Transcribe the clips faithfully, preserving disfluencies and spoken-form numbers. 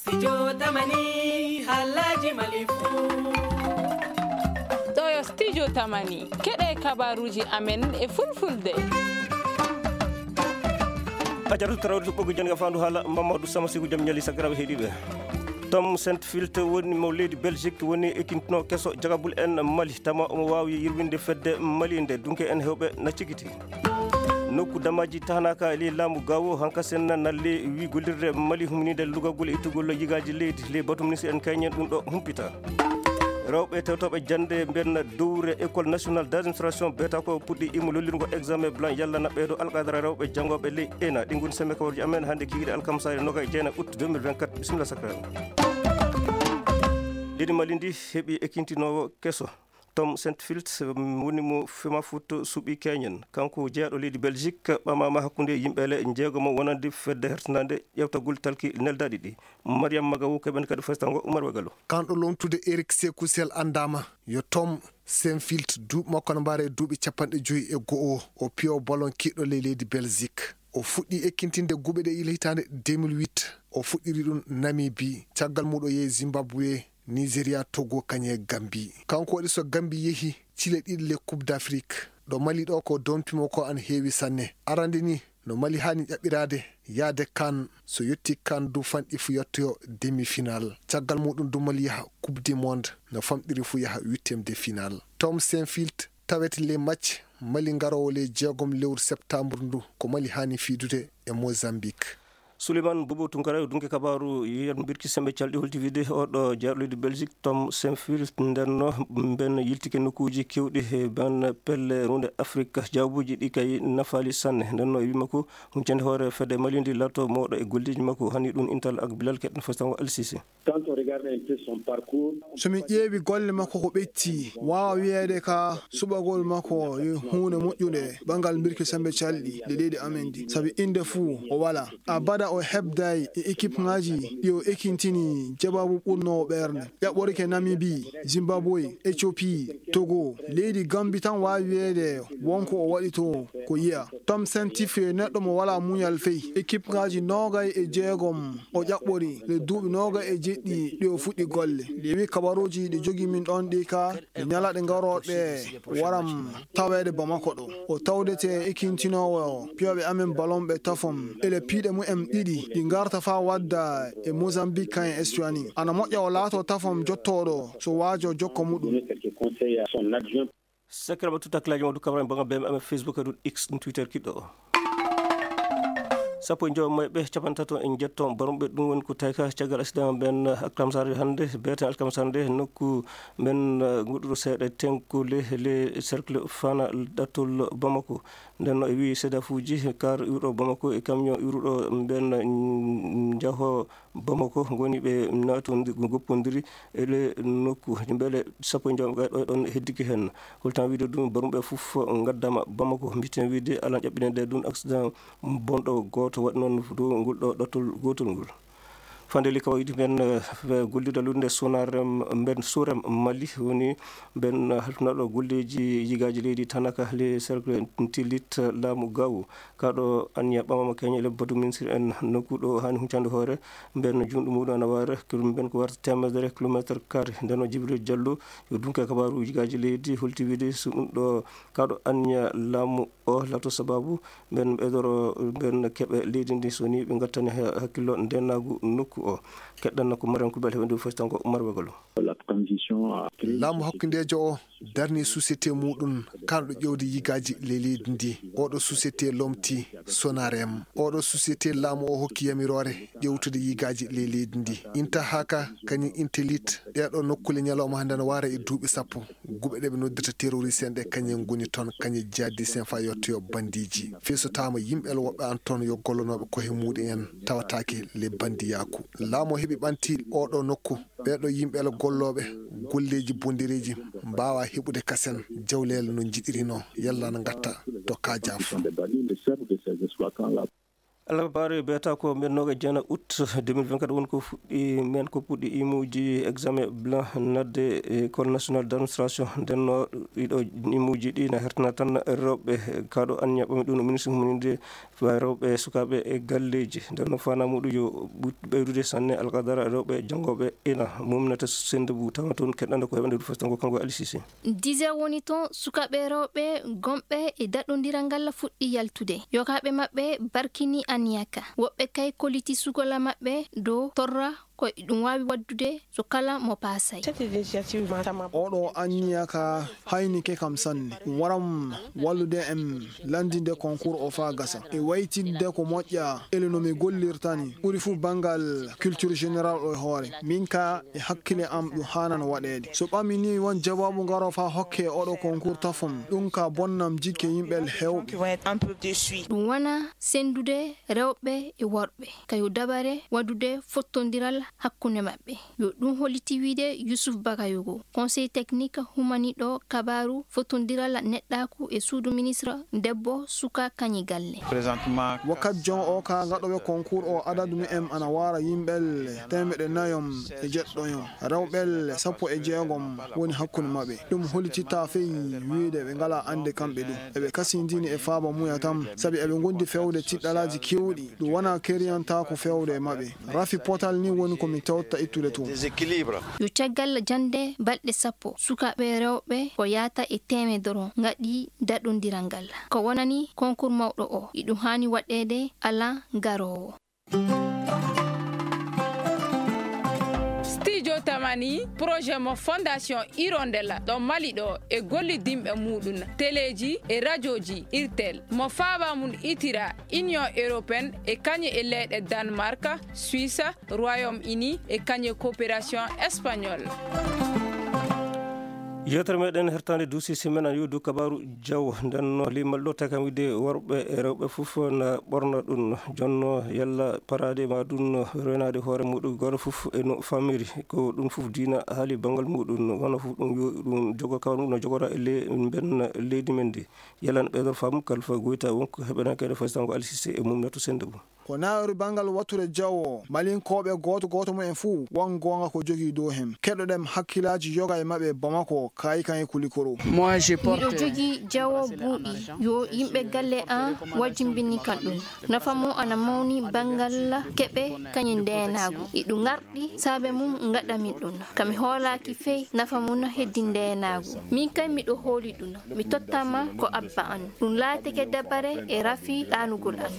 Studio Tamani, halaji Mali fu. Ɗo yo Studio Tamani, keɗe kabaruji amen e fulfulde. A jaratu tarawde to ɓoggi jannga fandu haala Mamadou Samasigu jam ñali sakiraɓe heɗiɓe. Tom Saint Filt woni mo leydi Belgique, woni ekintino keso jagabul en Mali, tama omo wawi yirwinde fedde Mali nde dunke en hewɓe na cikiti. Nokku damaji tahnaka e ley laamu gawo hankasen nalli wi gollirde Mali humnide lugagol e ittugol yigaji leydi ley batu ministre en kayñen ɗum ɗo humpita. Rewɓe tewtoɓe jande mbenna dowre école nationale d'administration beta ko puɗɗi imo lollirgo examen blanc yalla na ɓeydo alqadara rewɓe janngoɓe ley ena ɗi ngoni semme kawarji amen hannde kikiɗe alkamsare noga e jeena août deux mille vingt-quatre. Bisimilla sakra. Leydi Mali ndi heɓi ekintinowo keso. Tom Saint Filt, mm, woni mo Fema Foot suɓi keñen. Kanko jeyaɗo leydi Belgique, ɓamama hakkunde yimɓe le jeegomo wonande fedde hertanande ƴewtagol talki neldaɗi ɗi. Mariam Magawu keɓen kadi festango Umar Wagalo. Kanɗo lomtude Eric Sekou Sel andama yo Tom Saint Filt, duuɓi makko no mbaara e duuɓi capanɗe joyi e go'o. O piyo ballon kiɗɗo ley leydi Belgique. O fuɗɗi ekkintinde guɓe ɗe ila hitaande deux mille huit. O fuɗɗiri ɗum Namibie. Caggal muɗo yehi Zimbabwe, Nigeria, Togo, kañe Gambie. Kanko waɗi so Gambie yehi cile ɗiɗi le Coupe d'Afrique. Ɗo Mali ɗo ko dompimo ko an heewi sanne. Arande ni no Mali hani ƴaɓɓiraade yaade kan, so yetti kan du fanɗi fu yettoyo demi-finale. Caggal muɗum du Mali yaha Coupe du Monde, no famɗiri fu yaha huitième de finale. Tom Saint-Filt tawete ley match Mali garowo ley jeegom lewru septembre ndu, ko Mali hani fiidude e Mozambique. Souleymane Boubou Tounkara, dunke kabaru yer mbirki sembe calɗi holti wide oɗo jaaɗo leydi Belgique, Tom Saint-Filt, ndenno ben yiltike nokkuji kewɗi he ben pelle runde Afrique, jawbuji ɗi kay nafali sanne. Ndenno e wima ko huncande hoore fedde Mali ndi lato mawɗo e golleji makko, hani ɗum Intal ak Bilal keɗen fastango Al Sisi. Quand on regarde un peu son parcours, so min ƴeewi golle makko ko ɓetti, waawa wiyeede ka suɓagol makko yo huunde moƴƴunde banngal mbirki sembe calɗi ɗe leydi amen ndi. Sabi innde fuu o wala. Abada o hebday e équipe ngaji ɗi o ekintini jababu ɓurnoowo ɓernde. Ƴaɓɓorike Namibie, Zimbabwe, Ethiopie, Togo. Leydi Gambie tan waawi wiyeede wonko o waɗi to ko yiya. Tom Saint-Filt neɗɗo mo wala muñal fey. Équipe ngaji noogay e jeegom o ƴaɓɓori le duuɓi noogay e jeɗɗi ɗi o fuɗɗi golle. Ɗi wi kabaruji ɗi jogi min ɗon ɗi ka e ñalaɗe garooɗe waram taweede Bamako ɗo. O tawdete ekintinoowo piyoɓe amen balon ɓe tafom. Ele piiɗe mumen ɗiɗi ɗi garta fa wadda e Mozambique kan e Estuani. Ana moƴƴa o laato tafom jottooɗo so waajo jokko muɗum. Sekere ɓe tutta kilaji mawdu kabran banga B M M Facebook e ɗum X ɗum Twitter kiɗɗo o. Sappo e jowo mayɓe capantato en jetto barumɓe ɗum woni ko tawi ka caggal accident ben alkamsare hannde, beten alkamsare nde nokku men, eh, goɗɗuɗo seeɗa tenkule le cercle fana ɗattol Bamako. Nden no e wi sedafuji car iwɗo Bamako e camion iwruɗo ben, mm, jaho Bamako ngoni ɓe naatondiri, goppondiri e le nokku. Mbele sappo e jowo ɓe ɗo ɗon heddiki hen. Holtan wiide ɗum, barumɓe fof ngaddama Bamako. Mbiten wiide alan ƴaɓɓinede ɗum accident bonɗo gooto waɗi noon dow ngol ɗo ɗattol gootol ngol. Fande li kawaydi men, eh, gollirde lutnde Sonarem, mben Surem Mali woni mben halfinaɗo golleji yigaaji leydi Tanaka le cercle Tilit laamu Gawo. Kaɗo anniya ɓamama keñe le batu ministre en nokku ɗo hani huncande hoore mben junɗo muɗum ana wara kilo mben ko warta temedere kilometre carré. Nden o Jibril Diallo yo dunke kabaru yigaaji leydi holti wiide so ɗum ɗo kaɗo anniya laamu o lato sababu mben ɓeydoro mben keɓe leydi ndi so ni ɓe gattani ha-, hakkillo ndenagu nokku o. Keɗɗan ko Mariam Koubel heɓe ndu fof tan ko Umar Wegolo. La transition a pris. Laamu hakkundeejo o darni société muɗum kanɗo ƴewde yigaaji ley leydi ndi. Oɗo société lomti Sonarem. Oɗo société laamu o hokki yamiroore ƴewtude yigaaji ley leydi ndi. Inta haka kañum Intelit ɗeɗo nokkule ñalawma hannde no wara e duuɓi sappo. Guɓe ɗe ɓe noddirta terroriste en ɗe kañum ngoni toon, kañum jihadiste en fa yettoyo bandiji. Fesotama yimɓe el woɓɓe an toon yo gollanooɓe koye muɗum en tawataake le bandiyaaku. Laamu o heɓi ɓanti oɗo nokku. Ɓeɗo yimɓe el gollooɓe golleji bondereji mbawa heɓude kasen jawleel no jiɗirino. Yalla na gatta to kajaf. Alhabaru e beeta ko men noga jena août deux mille vingt-quatre woni ko fuɗɗi men ko puɗɗi imuji examen blanc nadde École nationale d'administration. Ndenno ɗiɗo imuji ɗi na hertana tan rewɓe. Kaɗo anniya ɓami ɗum no ministre humaninde rewɓe e sukaɓe e galleji. Ndenno fana muɗum yo ɓut-, ɓeydude sanne alqadara rewɓe janngoɓe ina mumnata sende bu tawna toon keɗɗanda ko heɓande ɗum festango kanko e Aliou Cissé. Dizer woni toon sukaaɓe rewɓe gonɓe e daɗondiral ngal fuɗɗi yaltude. Yogaaɓe maɓɓe barkini anniya ka. Woɓɓe kay kolliti sukola maɓɓe dow torra ko ɗum waawi waɗdude so kala mo paasay. Oɗo anniya ka haynike kam sanne. Ɗum waram wallude en lanndinde concours o faa gasa. E waytinde ko moƴƴa ele no mi gollirta ni. Ɓuri fuu banngal culture générale o e hoore. Min ka e hakkile am ɗum haanano waɗeede. So ɓami ni won jawaabu ngaro faa hokke oɗo concours tafon. Ɗum ka bonnam jikke yimɓe heewɓe. Qui vont être un peu déçus. Ɗum wona senndude rewɓe e worɓe, kayo dabare waɗude fottondiral hakkunde maɓɓe. Yo ɗum holliti wiyde Youssouf Bakayoko, conseil technique humaniɗo kabaaru fottondiral neɗɗaaku e suudu ministre debbo, suka, kañi galle. Wakkati jon o ka gaɗoɓe concours o adadu mu'en ana wara yimɓe temeɗɗe nayom e jeɗɗoyon. Rewɓe sappo e jeegom woni hakkunde maɓɓe. Ɗum hollititta fey wiyde ɓe ngala annde kamɓe ɗum. Eɓe kasindini e faaba muya tan, sabi eɓe ngondi fewde tiɗɗalaaji keewɗi. Ɗum wona keriyantaako fewde e maɓɓe. Rafi potal ni woni ko mi tewta ittude toon. Déséquilibre. Yo caggal jannde balɗe sappo, sukaaɓe rewɓe ko yaata e teemedoro ngaɗi daɗondiral ngal. Ko wonani concours mawɗo o, iɗum haani waɗeede alan garoowo. Studio Tamani, projet mo Fondation Hirondelle ɗo Mali ɗo e gollidinɓe muɗum, teleji e rajoji Irtel, mo faaba mum itira Union Européenne e kañe e leyɗe Danemark, Suisse, Royaume-Uni e kañe coopération espagnole. Yewtere meɗen hertande duusi simen an yewdu kabaaru jawo. Nden no limal ɗo tawi kam wiide worɓe e rewɓe fof na ɓorna ɗum. Jonno yalla paraade ma ɗum no reenaade hoore muɗum gooto fof e no famiri. Ko ɗum fof diina haali banngal muɗum. Wano fof ɗum yo ɗum jogo kawal muɗum no jogora e le-, mben leydi men ndi. Yalla no ɓeydor faamu kalfa goyta wonko heɓanaka e fasitango Alisise e mum neto sende mum. Ko nawri banngal wattude jawo, Malinkooɓe gooto gooto mumen fuu won goonga ko jogii dow heen. Keɗoɗen hakkillaaji yoga e maɓɓe Bamako, Kaayikan e Kulikoro. Miɗo jogii jawo buuɗi, yo yimɓe galle an wajjimbini kan ɗum. Nafa mum ana mawni banngal keɓe kañum ndeenaagu. Iɗu ngarɗi saabe mum ngaɗa min ɗum. Ka mi hoolaaki fey nafa mum heddi ndeenaagu. Min kay miɗo hooli ɗum. Mi tottama ko abba an. Ɗum laatike dabare e rafi ɗaanugol an.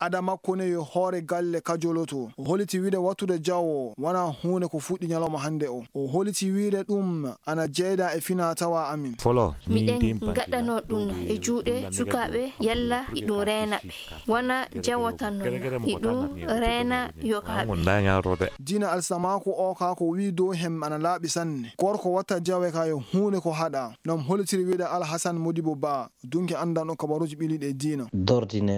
Ada makko ne yo hoore galle kajoloto. O holiti wiide wattude jawo wona huunde ko fuɗɗi ñalawma hannde o. O holiti wiide ɗum ana jeyda e fina tawa amin. Miɗen ngaɗano ɗum e juuɗe sukaaɓe yalla iɗum reena ɓe. Wona jawo tan non, iɗum reena yogaaɓe. Diina alsamaako o ka ko wii dow hem ana laaɓi sanne. Gorko watta jawe ka yo huunde ko haɗa. Non holitiri wiide Alhasan Modibo Ba. Dunki anndanɗo kabaruuji ɓiliiɗi e diina.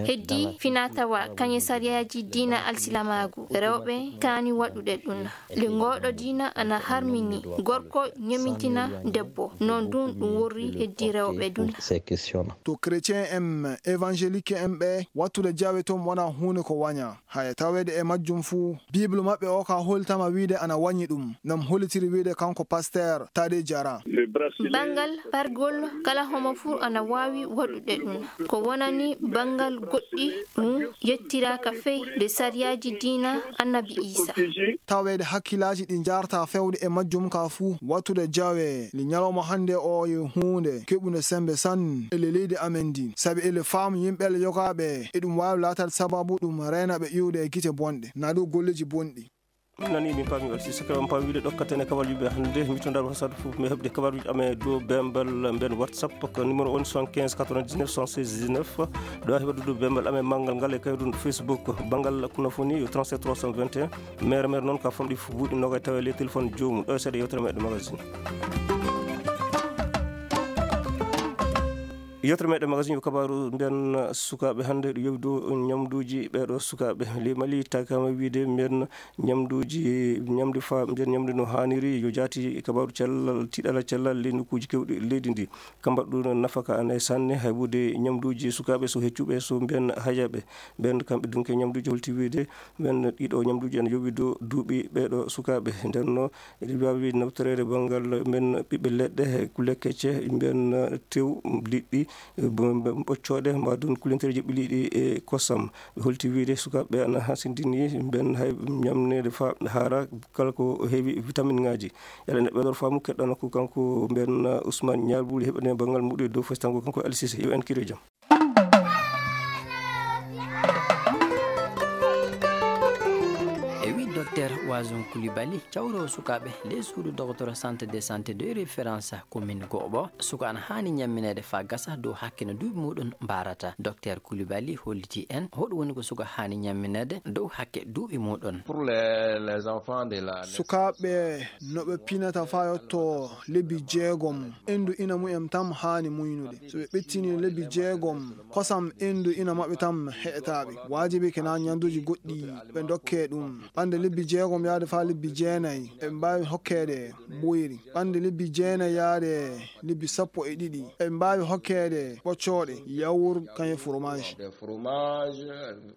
Heddi finatawa kañe sariyaaji diina alsilamaagu, rewɓe kaani waɗude ɗum. Le ngooɗo diina ana harmini gorko ñomintina debbo. Noon ɗum ɗum worri heddi rewɓe ɗum. To chrétien en, évangélique en ɓe, wattude jawe toon wona huunde ko waña. Haya taweede e majjum fuu, Bible maɓɓe o ka holtama wiide ana wañi ɗum. Nam holitiri wiide kanko pasteur Tade Jara. Banngal pargol kala homo fuu ana waawi waɗude ɗum. Ko wonani banngal goɗɗi ɗum yettiraaka fey nde sariyaaji diina Annabi Iisa. Taweede hakkillaaji ɗi njaarta fewde e majjum ka fuu, wattude jawe li ñalawma hannde o yo huunde keɓunde sembe sanne ele leydi amen ndi. Sabi ele faamu yimɓe le yogaaɓe e ɗum waawi laataade sababu ɗum reena ɓe iwde e gite bonɗe. Naa ɗo golleeji bonɗi. Min nani min paami on si saka on paami wiide ɗokkaten e kabal yimɓe hannde. Mitondar wasat fof mi heɓde kabaruuji amen dow bembal mben WhatsApp. Ko numéro on soixante-quinze quatre-vingt-dix-neuf soixante-seize dix-neuf. Ɗo heɓa dudu bembal amen manngal ngal e kayrun Facebook. Banngal kunafoni yo trente-sept trois cent vingt et un. Mere mere noon ka famɗi fof buuɗi noga tawa le téléphone joomum. Ɗo e seeɗa yewtere meɗen magazine. Yewtere meɗen magasin yo kabaaru mbiyen sukaaɓe hannde ɗo yowi dow ñamduuji ɓeeɗo sukaaɓe. Ley Mali takama wiide mbiyen ñamduuji, ñamde fa, mbiyen ñamde no haaniri yo jaati e kabaaru cellal, tiiɗala cellal ley nokkuuji keewɗi leydi ndi. Ka mbaɗɗu nafaka ana e sanne haybude ñamduuji sukaaɓe so heccuɓe so mbiyen hayaɓe. Ɓen kamɓe dunke ñamduuji holti wiide mbiyen ɗiɗo ñamduuji ana yowi dow duuɓi ɓeeɗo sukaaɓe. Nden no Eɗen mbaawi nawtoreede banngal men ɓiɓɓe leɗɗe, kulle kecce, mbiyen tew, liɗɗi, bo-, mbe-, ɓoccooɗe, mbaadun kullentereeji ɓe liɗɗi e kosam. Ɓe holti wiyde sukaaɓe ɓe ana hasindini mbiyen hay ñamneede fa haara kala ko heewi vitamin ŋaaji. Yalla neɗɗo ɓeydor faamu keɗɗano ko kanko mbiyen Ousmane Ñaar Buuli heɓane banngal muɗum e dow fes tango kanko Aliou Cissé. Yo en kire jam. E wi Docteur Wazon Coulibaly, cawroowo sukaaɓe ley suudu dogotoro Centre de Santé de Référence commune Goɓo, suka ana haani ñammineede faa gasa dow hakke no duuɓi muuɗum mbaarata. Docteur Coulibaly holliti en hoɗum woni ko suka haani ñammineede dow hakke duuɓi muuɗum. Pour les, les enfants de la Sukaaɓe no ɓe pinata faa yotto lebbi jeegom, endu ina mumen tam haani muynude. So ɓe ɓettini lebbi jeegom, kosam endu ina maɓɓe tam heƴataa ɓe. Waajibi ke na ñanduuji goɗɗi ɓe ndokkee ɗum. Ɓande lebbi jeegom yaade faa lebbi jeenay, eɓe mbaawi hokkeede mboyri. Ɓande lebbi jeenay yaade lebbi sappo e ɗiɗi, eɓe mbaawi hokkeede ɓoccooɗe, yaourt, kañum e fromage.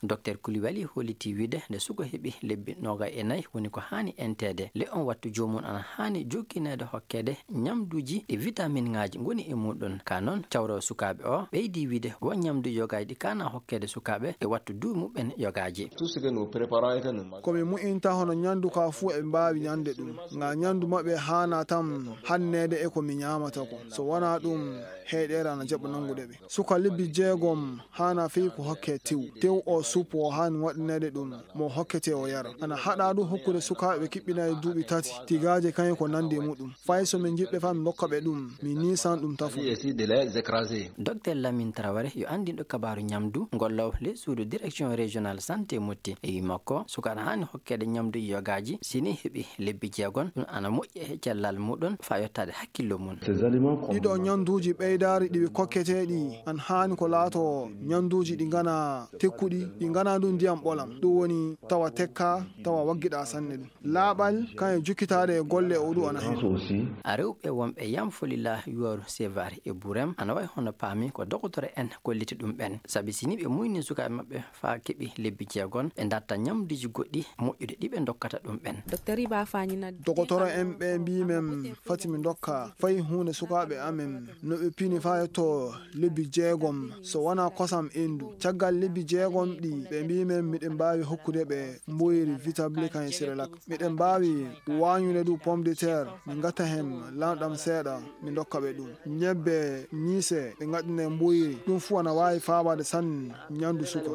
Docteur Coulibaly holliti wiyde nde suka heɓi lebbi noogay e nayi woni ko haani enteede. Le on wattu joomum ana haani jokkineede hokkeede ñamduuji ɗi vitamin ŋaaji ngoni e muuɗum. Ka noon, cawroowo sukaaɓe o ɓeydi wiyde won ñamduuji yogaaji ɗi kaana hokkeede sukaaɓe e wattu duuɓi muɓɓen yogaaji. Tout ce que nous préparons et que nous mangeons. Ko mi mu'inta hono ñandu ka fuu eɓe mbaawi ñande ɗum. Nga ñandu maɓɓe haana tam hanneede e ko mi ñaamata ko. So wonaa ɗum, heyɗeere ana jaɓa nanngude ɓe. Suka lebbi jeegom haana fey ko hokke tew. Tew o suppo o haani waɗineede ɗum mo hokkete o yara. Ana haɗa ɗum hokkude sukaaɓe kiɓɓinaaɗi duuɓi tati, tigaaje kañum ko nanndi e muɗum. Fay so min njiɗɓe faa min ndokka ɓe ɗum, min niisan ɗum tafo. Essayer de les écraser. Docteur Lamine Traoré yo anndiiɗo kabaaru ñamdu, gollowo ley suudu Direction Régionale Santé Motti. E wi makko, suka ana haani hokkeede ñamduuji yogaaji, si ni heɓi lebbi jeegom, ɗum ana moƴƴi e cellal muɗum faa yottaade hakkillo mum. Ces aliments comme Ɗiɗo ñanduuji ɓeydaari ɗi ɓe kokketee ɗi, an haani ko laato ñanduuji ɗi ngana tekkuɗi, ɗi ngana ɗum ndiyam ɓolam. Ɗum woni tawa tekka, tawa waggiɗa sanne ɗum. Laaɓal, kañum e jukkitaade e golle o ɗum ana heen. Aussi. A rewɓe wonɓe Yam Folila, Yuwaru, Sevari e Burem, ana wayi hono paami ko dogotoro en kolliti ɗum ɓen. Sabi si ni ɓe muyni sukaaɓe maɓɓe faa keɓi lebbi jeegom, ɓe ndatta ñamduuji goɗɗi moƴƴude ɗi ɓe ndokkata ɗum ɓen. Docteur Iba Fani na Dogotoro en ɓe mbii men fati mi ndokka fay huunde sukaaɓe amen no ɓe pini faa yetto lebbi jeegom so wonaa kosam endu. Caggal lebbi jeegom ɗi ɓe mbii men miɗen mbaawi hokkude ɓe mboyri, vitabli kañum e Cerelac. Miɗen mbaawi waañude du pomme de terre, min ngatta heen lanɗam seeɗa, min ndokka ɓe ɗum. Ñebbe, ñiise, ɓe ngaɗɗina e mboyri. Ɗum fuu ana waawi faabaade sanne ñandu suka.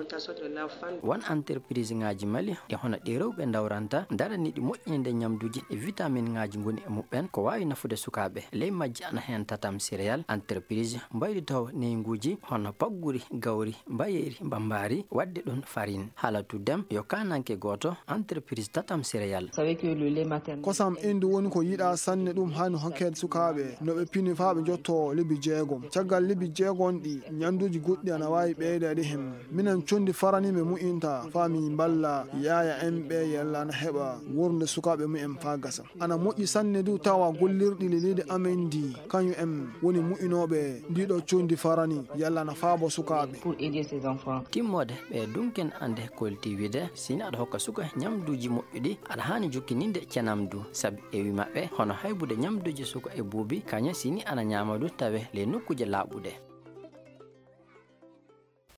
Won entreprise ŋaaji Mali e hono ɗi rewɓe ndawranta, daraniiɗi moƴƴinde ñamduuji e vitamin ŋaaji ngoni e muɓɓen, ko waawi nafude sukaaɓe. Ley majji ana heen Tatam Céréales, entreprise mbaylitawo neynguuji hono pagguri, gawri, mbayeeri, mbambaari, waɗde ɗum farine. Haala tuddem yo kaananke gooto, entreprise Tatam Céréales. Kosam endu woni ko yiɗaa sanne, ɗum haani hokkeede sukaaɓe no ɓe pini faa ɓe njotto lebbi jeegom. Caggal lebbi jeegom ɗi, ñanduuji goɗɗi ana waawi ɓeydeede heen. Minen conndi farani mi mu'inta faa mi mballa yaaya en ɓe yalla ana heɓa wuurnde sukaaɓe mumen faa gasa. Ana moƴƴi sanne du tawa gollirɗi leydi amen ndi, kañum en woni mu'inooɓe ndiɗo conndi farani, yalla ana faabo sukaaɓe. Timmoode ɓe dunken annde kolti wiyde, si ni aɗa hokka suka ñamduuji moƴƴuɗi, aɗa haani jokkininde cenam du, sabi e wi maɓɓe, hono haybude ñamduuji suka e buubi, kañum si ni ana ñaama du tawe ley nokkuuje laaɓuɗe.